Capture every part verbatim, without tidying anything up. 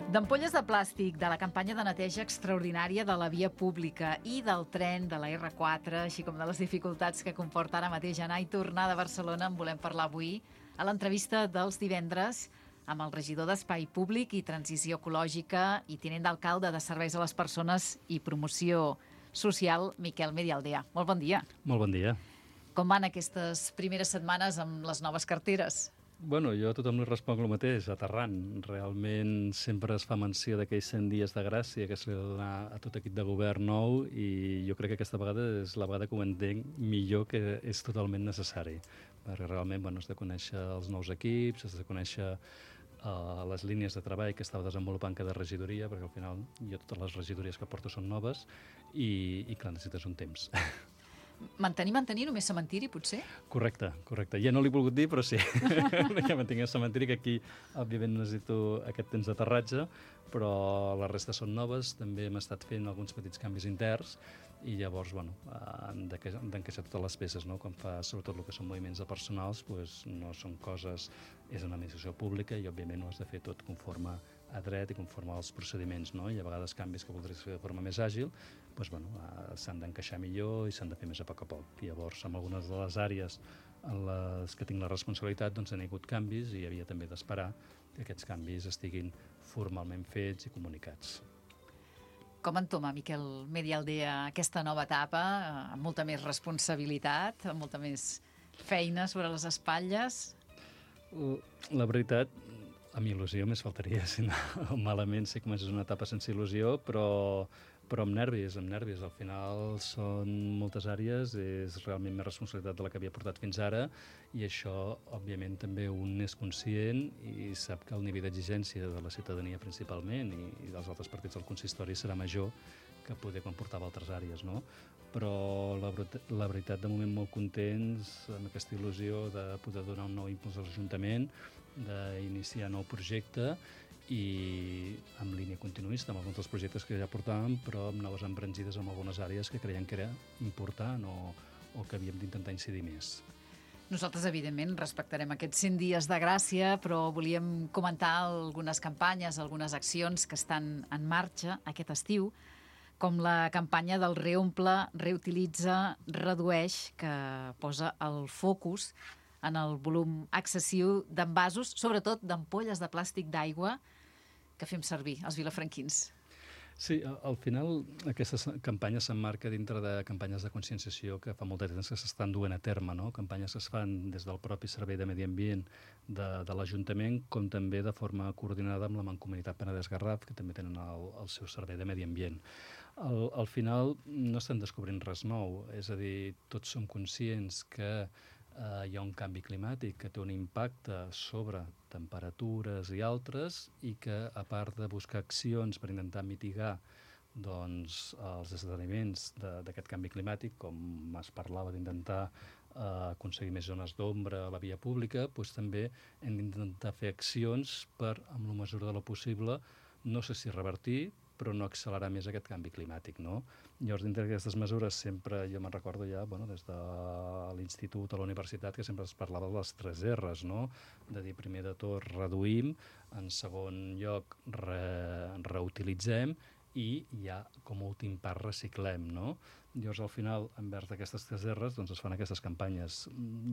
D'ampolles de plàstic, de la campanya de neteja extraordinària de la via pública i del tren de la erre quatre, així com de les dificultats que comporta ara mateix anar i tornar de Barcelona, en volem parlar avui a l'entrevista dels divendres amb el regidor d'Espai Públic i Transició Ecològica i tinent d'alcalde de Serveis a les Persones i Promoció Social, Miquel Medialdea. Molt bon dia. Molt bon dia. Com van aquestes primeres setmanes amb les noves carteres? Bueno, jo a tothom li responc el mateix, aterrant. Realment sempre es fa menció d'aquells cent dies de gràcia que se li dona a tot equip de govern nou i jo crec que aquesta vegada és la vegada que ho entenc millor, que és totalment necessari. Perquè realment bueno, has de conèixer els nous equips, has de conèixer uh, les línies de treball que estava desenvolupant cada regidoria, perquè al final jo totes les regidories que porto són noves i, i clar, necessites un temps. Mantenir, mantenir, només cementiri, potser? Correcte, correcte. Ja no l'he volgut dir, però sí. Ja mantinc el cementiri, que aquí, òbviament, necessito aquest temps d'aterratge, però la resta són noves. També hem estat fent alguns petits canvis interns i llavors, bueno, han d'encaixar totes les peces, no? Quan fa, sobretot, el que són moviments de personals, doncs no són coses... És una administració pública i, òbviament, ho has de fer tot conforme a dret i conforme als procediments, no? I a vegades canvis que voldries fer de forma més àgil, doncs, bueno, s'han d'encaixar millor i s'han de fer més a poc a poc. I llavors, en algunes de les àrees en les que tinc la responsabilitat, doncs han hagut canvis i havia també d'esperar que aquests canvis estiguin formalment fets i comunicats. Com entoma, Miquel Medialdea, aquesta nova etapa, amb molta més responsabilitat, amb molta més feina sobre les espatlles? La veritat, amb il·lusió més faltaria, si no, malament sé que és una etapa sense il·lusió, però, però amb nervis, amb nervis. Al final són moltes àrees, és realment més responsabilitat de la que havia portat fins ara i això, òbviament, també un és conscient i sap que el nivell d'exigència de la ciutadania principalment i, i dels altres partits del consistori serà major que poder quan portava altres àrees, no? Però la, la veritat, de moment molt contents amb aquesta il·lusió de poder donar un nou impuls a l'Ajuntament, d'iniciar nou projecte i amb línia continuista, amb alguns dels projectes que ja portàvem, però amb noves embranzides en algunes àrees que creiem que era important o, o que havíem d'intentar incidir més. Nosaltres, evidentment, respectarem aquests cent dies de gràcia, però volíem comentar algunes campanyes, algunes accions que estan en marxa aquest estiu, com la campanya del Reomple, Reutilitza, Redueix, que posa el focus en el volum excessiu d'envasos, sobretot d'ampolles de plàstic d'aigua que fem servir els vilafranquins. Sí, al final aquesta campanya s'emmarca dintre de campanyes de conscienciació que fa molt de temps que s'estan duent a terme, no? Campanyes que es fan des del propi Servei de Medi Ambient de, de l'Ajuntament, com també de forma coordinada amb la Mancomunitat Penedès-Garraf, que també tenen el, el seu Servei de Medi Ambient. Al, al final no estem descobrint res nou, és a dir, tots som conscients que Uh, hi ha un canvi climàtic que té un impacte sobre temperatures i altres i que, a part de buscar accions per intentar mitigar doncs, els esdeveniments d'aquest canvi climàtic, com es parlava d'intentar uh, aconseguir més zones d'ombra a la via pública, doncs també hem d'intentar fer accions per, amb la mesura de lo possible, no sé si revertir, però no accelerar més aquest canvi climàtic, no? Llavors, dintre d'aquestes mesures, sempre, jo me'n recordo ja, bueno, des de l'institut a la universitat, que sempre es parlava de les tres erres, no? De dir, primer de tot, reduïm, en segon lloc, re, reutilitzem, i ja, com a últim pas, reciclem, no? Llavors, al final, envers d'aquestes tres erres, doncs es fan aquestes campanyes.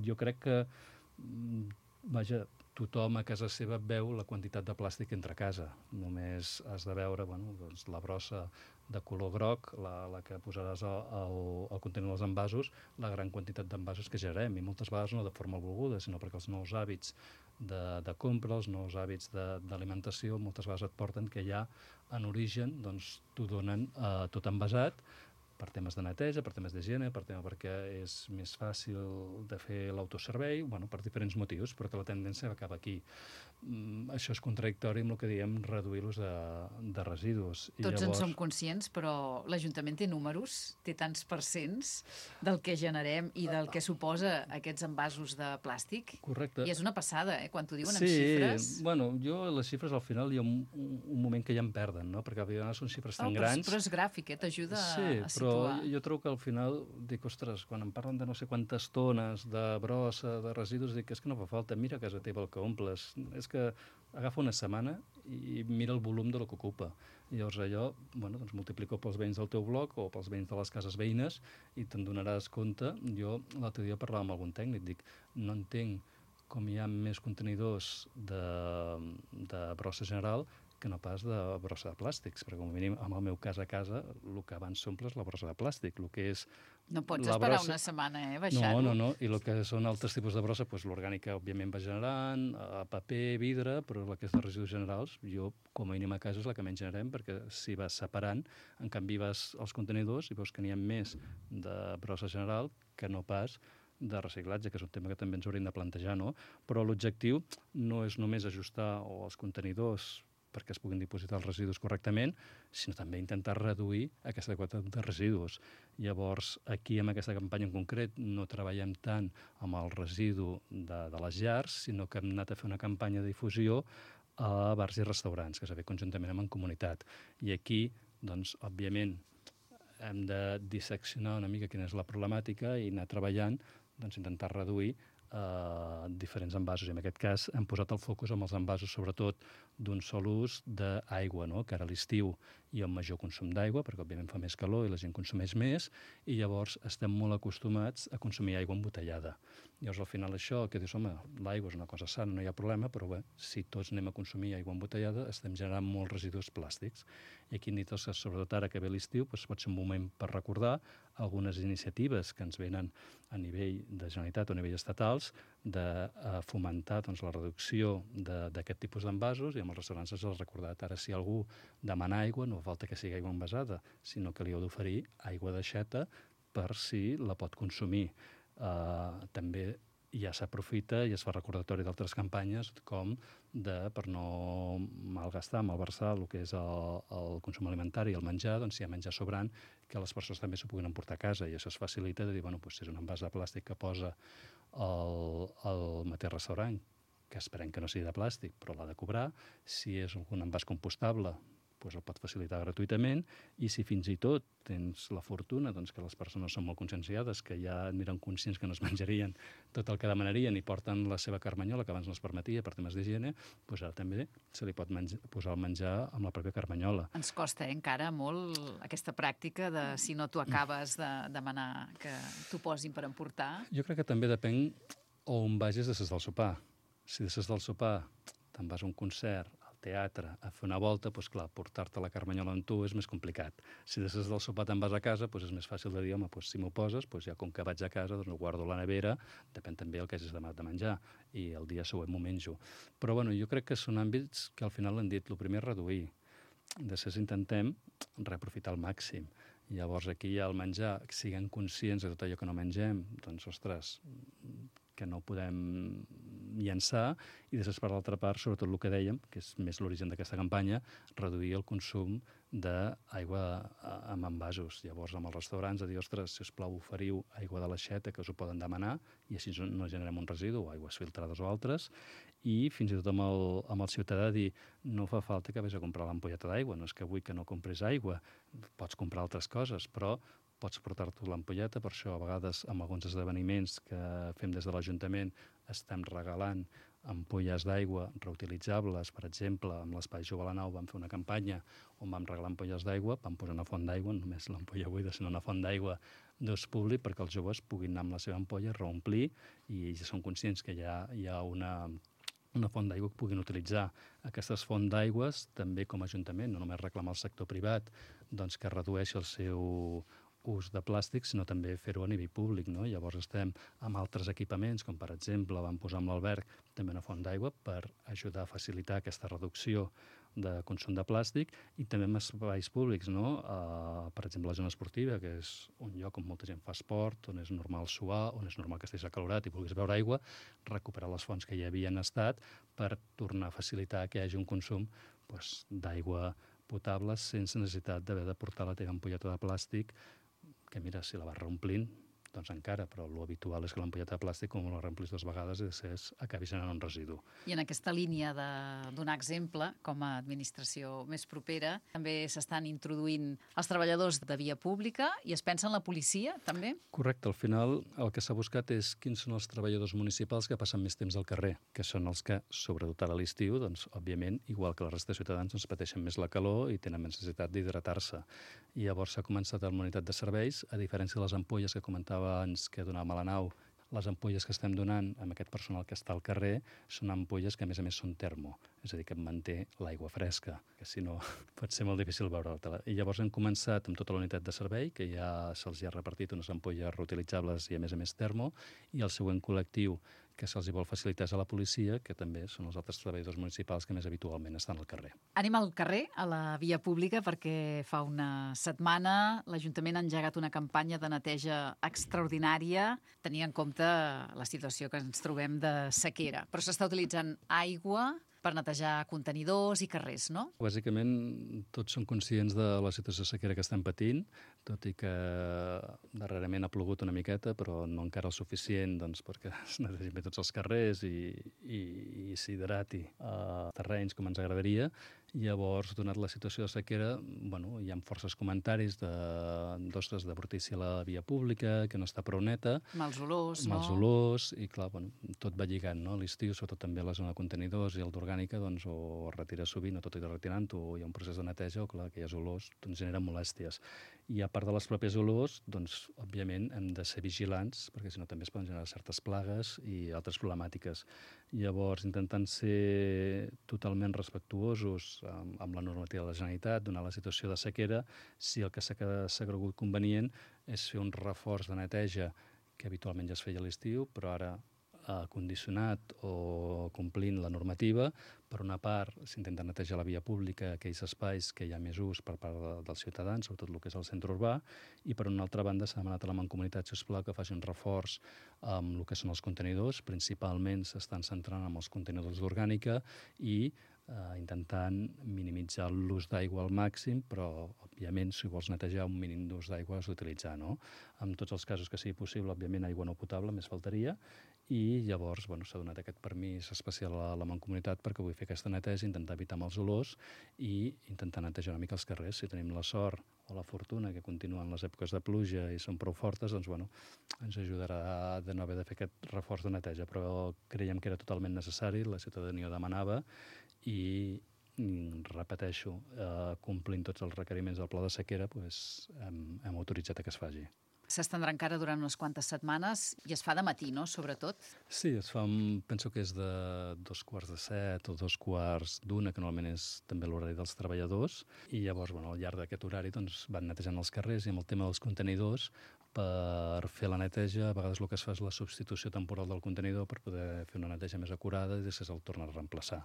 Jo crec que, vaja, tothom a casa seva veu la quantitat de plàstic que entra a casa. Només has de veure bueno, doncs, la brossa de color groc, la, la que posaràs al, al, al contenidor dels envasos, la gran quantitat d'envasos que generem, i moltes vegades no de forma volguda, sinó perquè els nous hàbits de, de compra, els nous hàbits d'alimentació, moltes vegades et porten que ja en origen doncs, t'ho donen eh, tot envasat, per temes de neteja, per temes d'higiene, per tema perquè és més fàcil de fer l'autoservei, bueno, per diferents motius, però que la tendència acaba aquí. Mm, això és contradictori amb el que diem reduir l'ús de, de residus. I Tots llavors... en som conscients, però l'Ajuntament té números, té tants percents del que generem i del que suposa aquests envasos de plàstic. Correcte. I és una passada, eh, quan t'ho diuen sí, en xifres. Sí, bueno, jo les xifres al final hi ha un, un, un moment que ja em perden, no? Perquè a vegades són xifres tan oh, però, grans... Però és gràfic, eh? T'ajuda sí, a situar. Però jo trobo que al final dic, ostres, quan em parlen de no sé quantes tones de brossa, de residus, dic, és que no fa falta, mira a casa teva el que omples, és és que agafa una setmana i mira el volum de lo que ocupa. I llavors allò, bueno, doncs multiplico pels veïns del teu bloc o pels veïns de les cases veïnes i te'n donaràs compte. Jo l'altre dia parlava amb algun tècnic, dic, no entenc com hi ha més contenidors de, de brossa general que no pas de brossa de plàstics, perquè com a mínim, en el meu cas a casa, el que abans s'omple és la brossa de plàstic, el que és No pots la esperar brossa... una setmana, eh, baixar-ho. No, no, no, i el que són altres tipus de brossa, doncs l'orgànica, òbviament, va generant, a paper, vidre, però la que és de residus generals, jo, com a mínim a casa, és la que menys generem, perquè si vas separant, en canvi vas als contenidors i veus que n'hi ha més de brossa general que no pas de reciclatge, que és un tema que també ens hauríem de plantejar, no? Però l'objectiu no és només ajustar els contenidors perquè es puguin dipositar els residus correctament, sinó també intentar reduir aquesta quantitat de residus. Llavors, aquí, amb aquesta campanya en concret, no treballem tant amb el residu de, de les llars, sinó que hem anat a fer una campanya de difusió a bars i restaurants, que s'ha fet conjuntament amb en comunitat. I aquí, doncs, òbviament, hem de disseccionar una mica quina és la problemàtica i anar treballant, doncs, intentar reduir eh, diferents envasos. I en aquest cas hem posat el focus amb els envasos, sobretot d'un sol ús d'aigua, no? Que ara a l'estiu hi ha un major consum d'aigua, perquè òbviament fa més calor i la gent consumeix més, i llavors estem molt acostumats a consumir aigua embotellada. Llavors, al final, això, que dius, home, l'aigua és una cosa sana, no hi ha problema, però bé, si tots anem a consumir aigua embotellada, estem generant molts residus plàstics. I aquí hem dit que, sobretot ara que ve l'estiu, doncs pot ser un moment per recordar algunes iniciatives que ens venen a nivell de Generalitat o a nivell estatals de uh, fomentar doncs, la reducció d'aquest tipus d'envasos, i amb els restaurants ens has recordat. Ara, si algú demana aigua, no fa falta que sigui aigua envasada, sinó que li heu d'oferir aigua d'aixeta per si la pot consumir. Uh, també ja s'aprofita i es fa recordatori d'altres campanyes com de, per no malgastar, malversar el que és el, el consum alimentari i el menjar, doncs si hi ha menjar sobrant, que les persones també s'ho puguin emportar a casa, i això es facilita de dir, bueno, doncs, si és un envàs de plàstic que posa el, el mateix restaurant, que esperem que no sigui de plàstic, però l'ha de cobrar, si és un envàs compostable, doncs el pot facilitar gratuïtament, i si fins i tot tens la fortuna doncs, que les persones són molt conscienciades, que ja eren conscients que no es menjarien tot el que demanarien i porten la seva carmanyola, que abans no es permetia per temes d'higiene, doncs ara també se li pot menjar, posar el menjar amb la pròpia carmanyola. Ens costa eh, encara molt aquesta pràctica de si no tu acabes de demanar que t'ho posin per emportar. Jo crec que també depèn on vagis després del sopar. Si després del sopar te'n vas a un concert, teatre, a fer una volta, doncs clar, portar-te la carmanyola amb tu és més complicat. Si després del sopar te'n vas a casa, doncs és més fàcil de dir, home, doncs si m'ho poses, doncs ja com que vaig a casa, doncs ho guardo a la nevera, depèn també el que hagis demanat de menjar, i el dia següent m'ho menjo. Però bueno, jo crec que són àmbits que al final han dit, el primer és reduir, després intentem reaprofitar al màxim. Llavors aquí hi ha el menjar, siguem conscients de tot allò que no mengem, doncs, ostres, que no podem llançar, i després, per l'altra part, sobretot el que dèiem, que és més l'origen d'aquesta campanya, reduir el consum d'aigua amb envasos. Llavors, amb els restaurants, a dir, ostres, si us plau, oferiu aigua de l'aixeta, que us ho poden demanar, i així no generem un residu, o aigües filtrades o altres, i fins i tot amb el, amb el ciutadà dir, no fa falta que vés a comprar l'ampolleta d'aigua, no és que vull que no compris aigua, pots comprar altres coses, però pots portar-te l'ampolleta. Per això, a vegades, amb alguns esdeveniments que fem des de l'Ajuntament, estem regalant ampolles d'aigua reutilitzables. Per exemple, amb l'Espai Jove a la Nau vam fer una campanya on vam regalar ampolles d'aigua, vam posar una font d'aigua, no només l'ampolla buida, sinó una font d'aigua d'ús públic, perquè els joves puguin anar amb la seva ampolla, reomplir, i ja són conscients que hi ha, hi ha una... una font d'aigua que puguin utilitzar. Aquestes fonts d'aigües, també com a Ajuntament, no només reclamar al sector privat doncs, que redueixi el seu ús de plàstic, sinó també fer-ho a nivell públic, no? Llavors estem amb altres equipaments, com per exemple vam posar amb l'Alberg també una font d'aigua per ajudar a facilitar aquesta reducció de consum de plàstic, i també en espais públics, no? Uh, per exemple, la zona esportiva, que és un lloc on molta gent fa esport, on és normal suar, on és normal que estiguis acalorat i vulguis beure aigua, recuperar les fonts que hi havien estat per tornar a facilitar que hi hagi un consum doncs, d'aigua potable sense necessitat d'haver de portar la teva ampolleta de plàstic, que mira, si la vas reomplint, doncs encara, però l'habitual és que l'ampolleta de plàstic, com la reemplis dues vegades, i després acabi generant un residu. I en aquesta línia de donar exemple, com a administració més propera, també s'estan introduint els treballadors de via pública i es pensa en la policia, també? Correcte. Al final, el que s'ha buscat és quins són els treballadors municipals que passen més temps al carrer, que són els que, sobretot a l'estiu, doncs, òbviament, igual que la resta de ciutadans, doncs, pateixen més la calor i tenen més necessitat d'hidratar-se. I llavors s'ha començat amb la unitat de serveis, a diferència de les ampolles que comentava abans que donàvem a la nau. Les ampolles que estem donant amb aquest personal que està al carrer són ampolles que, a més a més, són termo, és a dir, que manté l'aigua fresca, que si no pot ser molt difícil veure-la. I llavors hem començat amb tota la unitat de servei, que ja se'ls ha repartit unes ampolles reutilitzables i, a més a més, termo, i el següent col·lectiu que se'ls vol facilitar és a la policia, que també són els altres treballadors municipals que més habitualment estan al carrer. Anem al carrer, a la via pública, perquè fa una setmana l'Ajuntament ha engegat una campanya de neteja extraordinària, tenint en compte la situació que ens trobem de sequera. Però s'està utilitzant aigua per netejar contenidors i carrers, no? Bàsicament, tots som conscients de la situació de sequera que estem patint, tot i que darrerament ha plogut una miqueta, però no encara el suficient doncs, perquè es netegin bé tots els carrers i, i, i s'hidrati a terrenys com ens agradaria. Llavors, donat la situació de sequera, bueno, hi ha forces comentaris de, d'ostres, de brutícia a la via pública, que no està prou neta. Mals olors, no? Mals olors, i clar, bueno, tot va lligant, no? A l'estiu, sobretot també a la zona de contenidors i el d'orgànica, doncs, o es retira sovint, o tot i retirant-ho, o hi ha un procés de neteja, o clar, aquelles olors doncs, generen molèsties. I a part de les pròpies olors, doncs, òbviament, hem de ser vigilants, perquè si no també es poden generar certes plagues i altres problemàtiques. Llavors, intentant ser totalment respectuosos amb, amb la normativa de la Generalitat, donar la situació de sequera, si el que s'ha cregut convenient és fer un reforç de neteja que habitualment ja es feia a l'estiu, però ara eh, condicionat o complint la normativa. Per una part, s'intenta netejar la via pública, aquells espais que hi ha més ús per part de, dels ciutadans, sobretot el que és el centre urbà, i per una altra banda s'ha demanat a la Mancomunitat, si us plau, que faci un reforç amb el que són els contenidors. Principalment s'estan centrant en els contenidors d'orgànica i Uh, intentant minimitzar l'ús d'aigua al màxim, però, òbviament, si vols netejar un mínim d'ús d'aigua has d'utilitzar, no? En tots els casos que sigui possible, òbviament, aigua no potable, més faltaria, i llavors bueno, s'ha donat aquest permís especial a la Mancomunitat perquè vull fer aquesta neteja, intentar evitar mals olors i intentar netejar una mica els carrers. Si tenim la sort o la fortuna que continuen les èpoques de pluja i són prou fortes, doncs bueno, ens ajudarà de no haver de fer aquest reforç de neteja, però creiem que era totalment necessari, la ciutadania ho demanava, i repeteixo, eh, complint tots els requeriments del pla de sequera, doncs, hem, hem autoritzat que es faci. S'estendrà encara durant unes quantes setmanes i es fa de matí, no?, sobretot? Sí, es fa, penso que és de dos quarts de set o dos quarts d'una, que normalment és també l'horari dels treballadors, i llavors, bueno, al llarg d'aquest horari doncs, van netejant els carrers, i amb el tema dels contenidors, per fer la neteja, a vegades el que es fa és la substitució temporal del contenidor per poder fer una neteja més acurada i després el tornar a reemplaçar.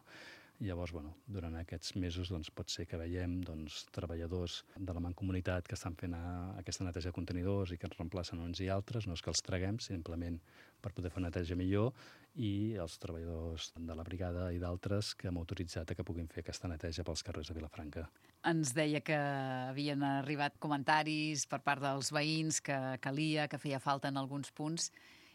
Llavors, bueno, durant aquests mesos doncs, pot ser que veiem doncs, treballadors de la Mancomunitat que estan fent a, aquesta neteja de contenidors i que ens reemplacen uns i altres, no és que els traguem, simplement per poder fer una neteja millor, i els treballadors de la brigada i d'altres que hem autoritzat a que puguin fer aquesta neteja pels carrers de Vilafranca. Ens deia que havien arribat comentaris per part dels veïns que calia, que feia falta en alguns punts.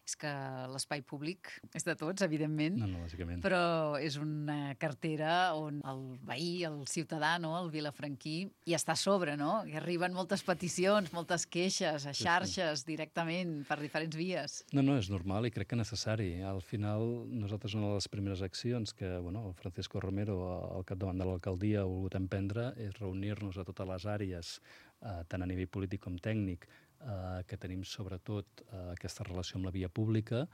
És que l'espai públic és de tots, evidentment, no, no, lògicament. Però és una cartera on el veí, el ciutadà, no?, el vilafranquí, hi està a sobre, no? I arriben moltes peticions, moltes queixes, a xarxes, sí, sí. directament, per diferents vies. No, no, és normal i crec que necessari. Al final, nosaltres una de les primeres accions que bueno, el Francisco Romero, al capdavant de l'alcaldia, ha volgut emprendre és reunir-nos a totes les àrees, eh, tant a nivell polític com tècnic, Uh, que tenim sobretot uh, aquesta relació amb la via pública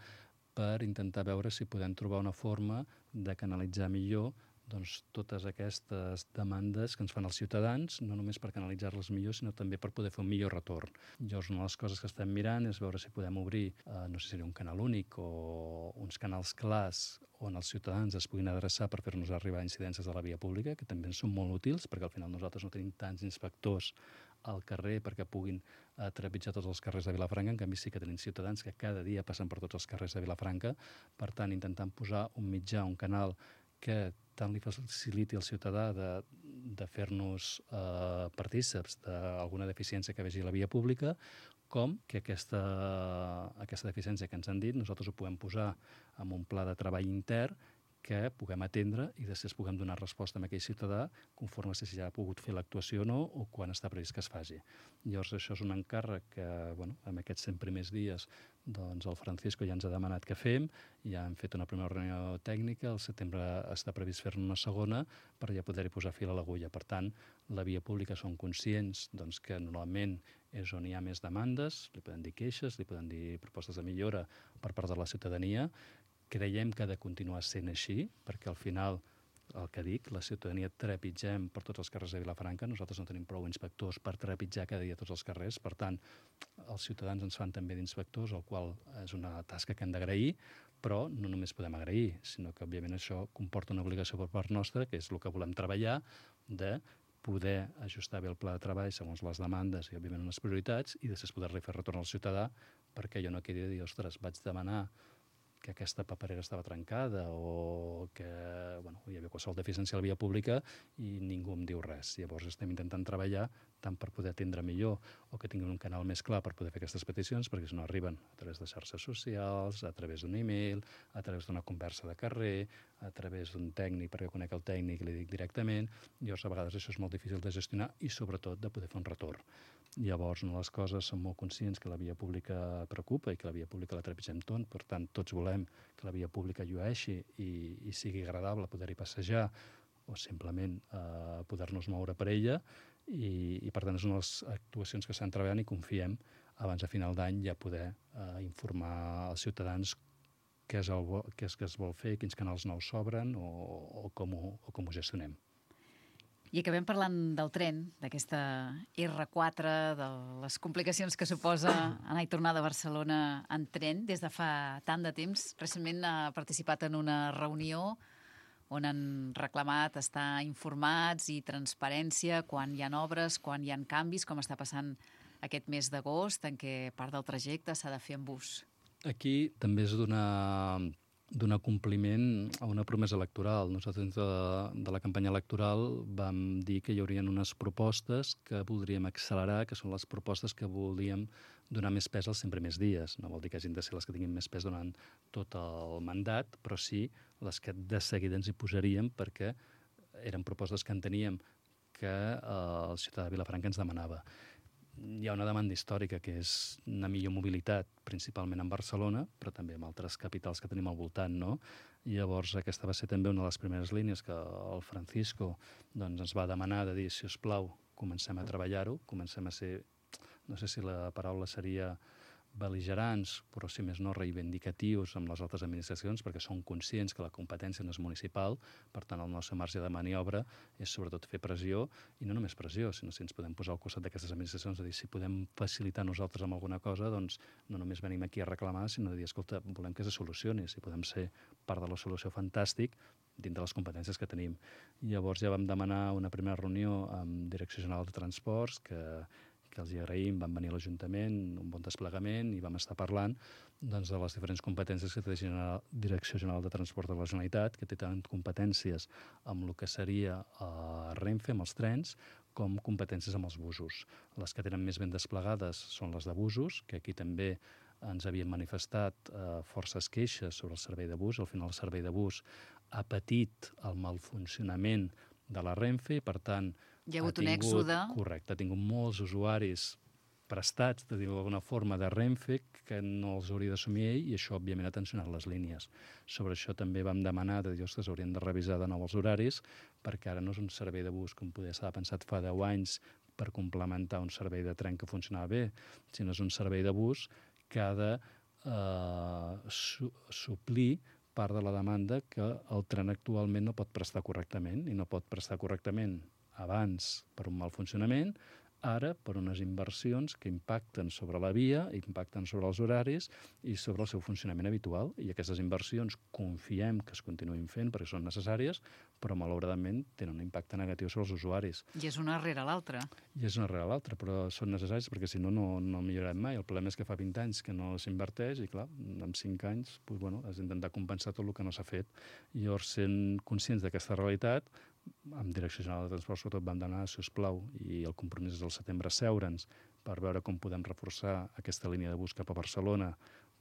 per intentar veure si podem trobar una forma de canalitzar millor doncs, totes aquestes demandes que ens fan els ciutadans, no només per canalitzar-les millor, sinó també per poder fer un millor retorn. Llavors, una de les coses que estem mirant és veure si podem obrir, eh, no sé si seria un canal únic o uns canals clars on els ciutadans es puguin adreçar per fer-nos arribar incidències de la via pública, que també són molt útils, perquè al final nosaltres no tenim tants inspectors al carrer perquè puguin eh, trepitjar tots els carrers de Vilafranca. En canvi, sí que tenim ciutadans que cada dia passen per tots els carrers de Vilafranca. Per tant, intentant posar un mitjà, un canal que tant li faciliti al ciutadà de, de fer-nos eh, partíceps d'alguna deficiència que vegi a la via pública, com que aquesta, aquesta deficiència que ens han dit nosaltres ho puguem posar en un pla de treball intern que puguem atendre i després puguem donar resposta a aquell ciutadà conforme si ja ha pogut fer l'actuació o no o quan està previst que es faci. Llavors, això és un encàrrec que, bueno, en aquests cent primers dies, doncs el Francisco ja ens ha demanat que fem, ja hem fet una primera reunió tècnica, al setembre està previst fer-ne una segona per ja poder-hi posar fil a l'agulla. Per tant, la via pública són conscients doncs, que normalment és on hi ha més demandes, li poden dir queixes, li poden dir propostes de millora per part de la ciutadania. Creiem que ha de continuar sent així, perquè al final, el que dic, la ciutadania trepitgem per tots els carrers de Vilafranca, nosaltres no tenim prou inspectors per trepitjar cada dia tots els carrers, per tant, els ciutadans ens fan també d'inspectors, el qual és una tasca que hem d'agrair, però no només podem agrair, sinó que, òbviament, això comporta una obligació per part nostra, que és el que volem treballar, de poder ajustar bé el pla de treball segons les demandes i, òbviament, les prioritats, i després poder-li fer retorn al ciutadà, perquè jo no quedi de dir, ostres, vaig demanar que aquesta paperera estava trencada o que bueno, hi havia qualsevol deficiència a la via pública i ningú em diu res. Llavors estem intentant treballar tant per poder atendre millor o que tinguin un canal més clar per poder fer aquestes peticions, perquè si no arriben a través de xarxes socials, a través d'un e-mail, a través d'una conversa de carrer, a través d'un tècnic perquè conec el tècnic i li dic directament. Llavors, a vegades això és molt difícil de gestionar i, sobretot, de poder fer un retorn. Llavors, no, les coses som molt conscients que la via pública preocupa i que la via pública la trepitgem tot, per tant, tots volem que la via pública llueixi i, i sigui agradable poder-hi passejar o simplement eh, poder-nos moure per ella i, i per tant, són les actuacions que estan treballant i confiem abans de final d'any ja poder eh, informar als ciutadans què és, el, què és que es vol fer, quins canals nous s'obren o, o, com ho, o com ho gestionem. I acabem parlant del tren, d'aquesta erre quatre, de les complicacions que suposa anar i tornar de Barcelona en tren des de fa tant de temps. Recentment ha participat en una reunió on han reclamat estar informats i transparència quan hi ha obres, quan hi ha canvis, com està passant aquest mes d'agost, en què part del trajecte s'ha de fer en bus. Aquí també és donar... donar compliment a una promesa electoral. Nosaltres, de, de la campanya electoral, vam dir que hi haurien unes propostes que voldríem accelerar, que són les propostes que volíem donar més pes als cent primers dies. No vol dir que hagin de ser les que tinguin més pes durant tot el mandat, però sí les que de seguida ens hi posaríem perquè eren propostes que enteníem que el ciutadà de Vilafranca ens demanava. Hi ha una demanda històrica que és una millor mobilitat, principalment en Barcelona, però també en altres capitals que tenim al voltant, no? I llavors aquesta va ser també una de les primeres línies que el Francisco doncs, ens va demanar de dir, si us plau, comencem a treballar-ho, comencem a ser, no sé si la paraula seria bel·ligerants, però si més no reivindicatius amb les altres administracions, perquè són conscients que la competència no és municipal, per tant el nostre marge de maniobra és sobretot fer pressió, i no només pressió, sinó si ens podem posar al costat d'aquestes administracions, de dir si podem facilitar nosaltres amb alguna cosa, doncs no només venim aquí a reclamar, sinó de dir, escolta, volem que se solucioni, si podem ser part de la solució, fantàstic, dins de les competències que tenim. I llavors ja vam demanar una primera reunió amb Direcció General de Transports, que que els hi agraïm, van venir a l'Ajuntament, un bon desplegament, i vam estar parlant doncs, de les diferents competències que té la Direcció General de Transport de la Generalitat, que té tant competències amb el que seria a Renfe, amb els trens, com competències amb els busos. Les que tenen més ben desplegades són les de busos, que aquí també ens havien manifestat eh, forces queixes sobre el servei de bus. Al final el servei de bus ha patit el malfuncionament de la Renfe, i per tant hi ha hagut ha tingut, un èxode. Correcte, ha tingut molts usuaris prestats, de dir-ho d'alguna forma, de Renfe, que no els hauria d'assumir ell, i això, òbviament, ha tensionat les línies. Sobre això també vam demanar, de dir, ostres, haurien de revisar de nou els horaris, perquè ara no és un servei de bus com poder s'ha pensat fa deu anys per complementar un servei de tren que funcionava bé, sinó és un servei de bus que ha de eh, su suplir part de la demanda que el tren actualment no pot prestar correctament, i no pot prestar correctament abans per un mal funcionament, ara per unes inversions que impacten sobre la via, impacten sobre els horaris i sobre el seu funcionament habitual. I aquestes inversions confiem que es continuïn fent perquè són necessàries, però malauradament tenen un impacte negatiu sobre els usuaris. I és una rere l'altra. I és una rere l'altra, però són necessaris perquè si no, no, no millorarem mai. El problema és que fa vint anys que no s'inverteix i, clar, en cinc anys doncs, bueno, has d'intentar compensar tot el que no s'ha fet. I llavors, sent conscients d'aquesta realitat, amb Direcció General de Transport, sobretot vam demanar, si us plau, i el compromís és al setembre, seure'ns per veure com podem reforçar aquesta línia de bus cap a Barcelona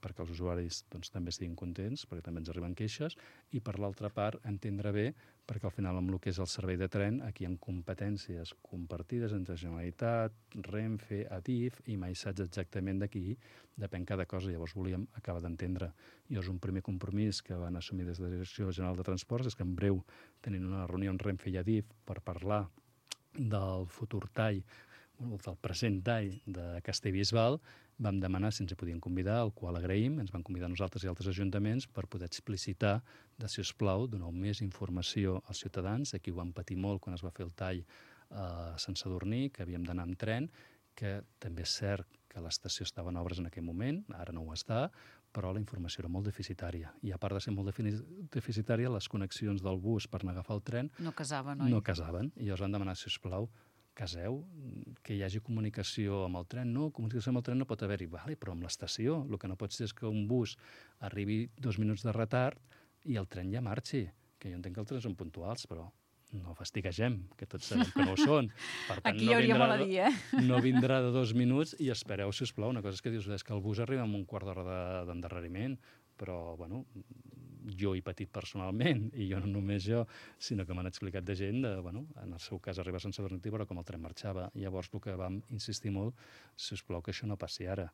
perquè els usuaris doncs, també estiguin contents, perquè també ens arriben queixes, i per l'altra part entendre bé, perquè al final amb el que és el servei de tren, aquí hi ha competències compartides entre Generalitat, Renfe, Adif, i mai saps exactament d'aquí depèn cada cosa. Llavors volíem acabar d'entendre. Llavors un primer compromís que van assumir des de la Direcció General de Transports és que en breu tenim una reunió amb Renfe i Adif per parlar del futur tall, del present tall de Castellbisbal. Vam demanar si ens hi podien convidar, el qual agraïm, ens van convidar nosaltres i altres ajuntaments per poder explicitar de, si us plau, donar més informació als ciutadans. Aquí ho vam patir molt quan es va fer el tall a Sant Sadurní, que havíem d'anar amb tren, que també és cert que l'estació estava en obres en aquell moment, ara no ho està, però la informació era molt deficitària. I a part de ser molt deficitària, les connexions del bus per anar a agafar el tren no casaven, oi? No casaven. I llavors van demanar, si us plau, caseu, que hi hagi comunicació amb el tren. No, comunicació amb el tren no pot haver-hi. Vale, però amb l'estació. El que no pot ser és que un bus arribi dos minuts de retard i el tren ja marxi. Que jo entenc que els trens són puntuals, però no fastiguegem, que tots sabem que no ho són. Per tant, aquí no hi hauria vindrà, molt a dir, eh? No vindrà de dos minuts i espereu, si us plau. Una cosa és que dius és que el bus arriba amb un quart d'hora d'endarreriment, però, bueno, jo he patit personalment, i jo no només jo, sinó que m'han explicat de gent, de, bueno, en el seu cas arriba a Sant Sadurní i veure com el tren marxava. Llavors el que vam insistir molt, si us plau, que això no passi ara.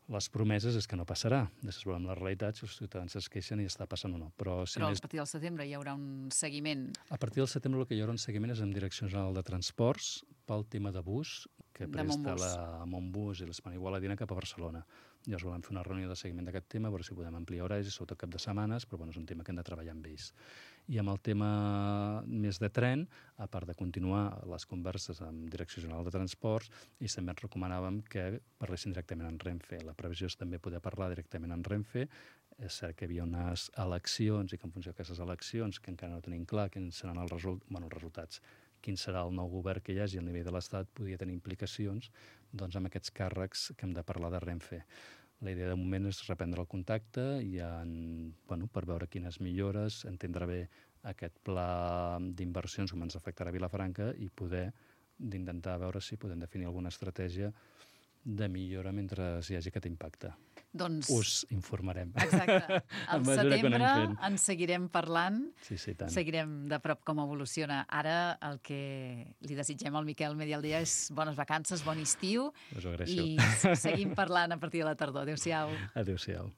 Les promeses és que no passarà. Després veurem la realitat, si els ciutadans es queixen i està passant o no. Però, si Però més... a partir del setembre hi haurà un seguiment. A partir del setembre el que hi haurà un seguiment és amb Direcció General de Transports pel tema de bus, que presta la Montbus i l'Hispana Igualadina cap a Barcelona. Llavors volem fer una reunió de seguiment d'aquest tema, a veure si podem ampliar horaris, sobretot cap de setmanes, però bueno, és un tema que hem de treballar amb ells. I amb el tema més de tren, a part de continuar les converses amb Direcció General de Transports, i també ens recomanàvem que parlessin directament en Renfe. La previsió és també poder parlar directament en Renfe. És cert que hi havia unes eleccions i que en funció d'aquestes eleccions, que encara no tenim clar quins seran els, result... bueno, els resultats, quin serà el nou govern que hi hagi a nivell de l'Estat, podria tenir implicacions doncs, amb aquests càrrecs que hem de parlar de Renfe. La idea de moment és reprendre el contacte i en, bueno, per veure quines millores, entendre bé aquest pla d'inversions com ens afectarà a Vilafranca i poder d'intentar veure si podem definir alguna estratègia de millora mentre hi hagi aquest impacte. Doncs... Us informarem. Exacte. Al setembre en seguirem parlant, sí, sí, tant. Seguirem de prop com evoluciona. Ara el que li desitgem al Miquel Medialdea és bones vacances, bon estiu, us ho agraeixo. I seguim parlant a partir de la tardor. Adéu-siau. Adéu-siau.